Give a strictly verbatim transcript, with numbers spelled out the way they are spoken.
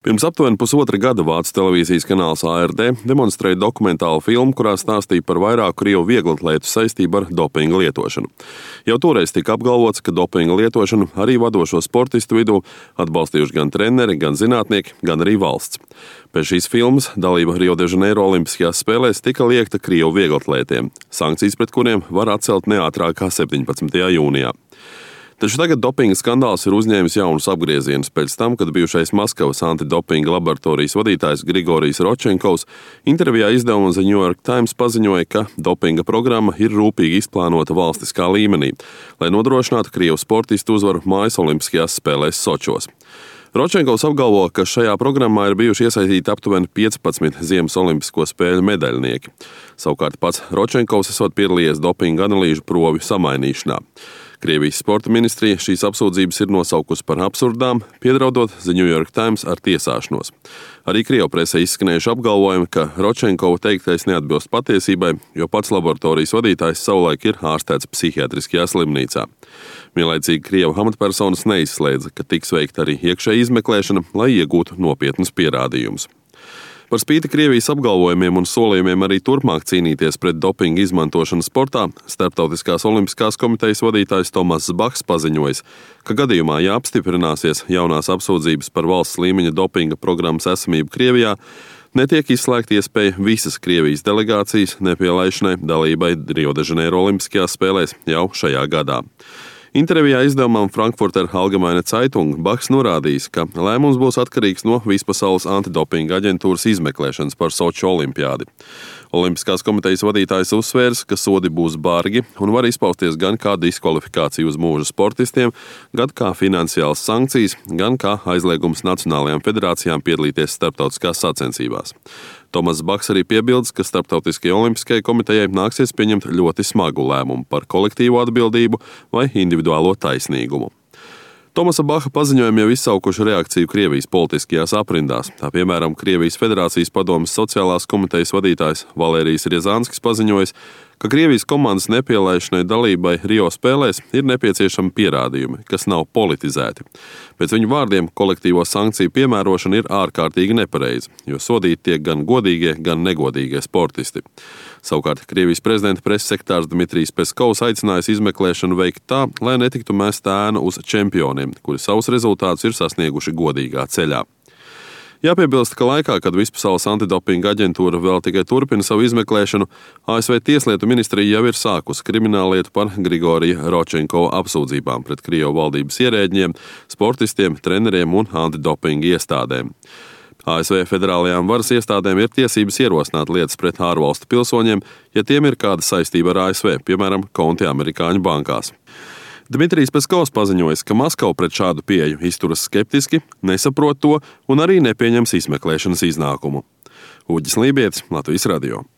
Pirms aptuveni pusotra gada Vācu televīzijas kanāls A R D demonstrēja dokumentālu filmu, kurā stāstīja par vairāku krievu vieglatlētu saistību ar dopinga lietošanu. Jau toreiz tika apgalvots, ka dopinga lietošanu arī vadošo sportistu vidū atbalstījuši gan treneri, gan zinātnieki, gan arī valsts. Pēc šīs filmas dalība Rio de Janeiro Olimpiskajās spēlēs tika liekta krievu vieglatlētiem, sankcijas pret kuriem var atcelt ne ātrāk kā septiņpadsmitajā jūnijā. Taču tagad dopinga skandāls ir uzņēmis jaunus apgriezienus pēc tam, kad bijušais Maskavas antidopinga laboratorijas vadītājs Grigorijs Rodčenkovs intervijā izdevumam The New York Times paziņoja, ka dopinga programma ir rūpīgi izplānota valstiskā līmenī, lai nodrošinātu krievu sportistu uzvaru mājas olimpiskajās spēlēs Sočos. Rodčenkovs apgalvo, ka šajā programmā ir bijuši iesaistīti aptuveni piecpadsmit Ziemas olimpisko spēļu medaļnieki. Savukārt pats Rodčenkovs esot piedalījies dopinga analīžu provi samainīšanā. Krievijas sporta ministrija šīs apsūdzības ir nosaukusi par absurdām, piedraudot The New York Times ar tiesāšanos. Arī krievu presē izskanējuši apgalvojumi, ka Rodčenkova teiktais neatbilst patiesībai, jo pats laboratorijas vadītājs savulaik ir ārstēts psihiatriskajā slimnīcā. Vienlaicīgi krievu amatpersonas neizslēdza, ka tiks veikta arī iekšēja izmeklēšana, lai iegūtu nopietnus pierādījumus. Par spīti Krievijas apgalvojumiem un solījumiem arī turpmāk cīnīties pret dopinga izmantošanu sportā, Starptautiskās olimpiskās komitejas vadītājs Tomass Bachs paziņojis, ka gadījumā, ja apstiprināsies jaunās apsūdzības par valsts līmeņa dopinga programmas esamību Krievijā, netiek izslēgta iespēja visas Krievijas delegācijas nepielaišanai dalībai Rio de Janeiro Olimpiskajās spēlēs jau šajā gadā. Intervijā izdevumam Frankfurter Allgemeine Zeitung Bachs norādījis, ka lēmums būs atkarīgs no Vispasaules antidopinga aģentūras izmeklēšanas par Soču olimpiādi. Olimpiskās komitejas vadītājs uzsvērs, ka sodi būs bargi un var izpausties gan kā diskvalifikācija uz mūžu sportistiem, gan kā finansiāls sankcijas, gan kā aizliegums nacionālajām federācijām piedalīties starptautiskās sacensībās. Tomass Bachs arī piebilst, ka Starptautiskajai olimpiskajai komitejai nāksies pieņemt ļoti smagu lēmumu par kolektīvo atbildību vai individuālo taisnīgumu. Tomasa Bacha paziņojumi jau izsaukuši reakciju Krievijas politiskajās aprindās. Tā piemēram, Krievijas Federācijas padomes sociālās komitejas vadītājs Valērijas Riezanskis paziņojis, ka Krievijas komandas nepielaišanai dalībai Rio spēlēs ir nepieciešami pierādījumi, kas nav politizēti. Pēc viņu vārdiem kolektīvo sankciju piemērošana ir ārkārtīgi nepareiza, jo sodīti tiek gan godīgie, gan negodīgie sportisti. Savukārt Krievijas prezidenta preses sekretārs Dmitrijs Peskovs aicinājis izmeklēšanu veikt tā, lai netiktu mest ēnu uz čempioniem, kuri savus rezultātus ir sasnieguši godīgā ceļā. Jāpiebilst, ka laikā, kad Vispasaules antidopinga aģentūra vēl tikai turpina savu izmeklēšanu, A S V Tieslietu ministrija jau ir sākusi krimināllietu par Grigorija Rodčenkova apsūdzībām pret Krievu valdības ierēģiem, sportistiem, treneriem un antidopinga iestādēm. A S V federālajām varas iestādēm ir tiesības ierosināt lietas pret ārvalstu pilsoņiem, ja tiem ir kāda saistība ar A S V, piemēram, konti amerikāņu bankās. Dmitrijs Peskovs paziņojis, ka Maskava pret šādu pieeju izturas skeptiski, nesaprot to un arī nepieņems izmeklēšanas iznākumu. Uģis Lībietis, Latvijas radio.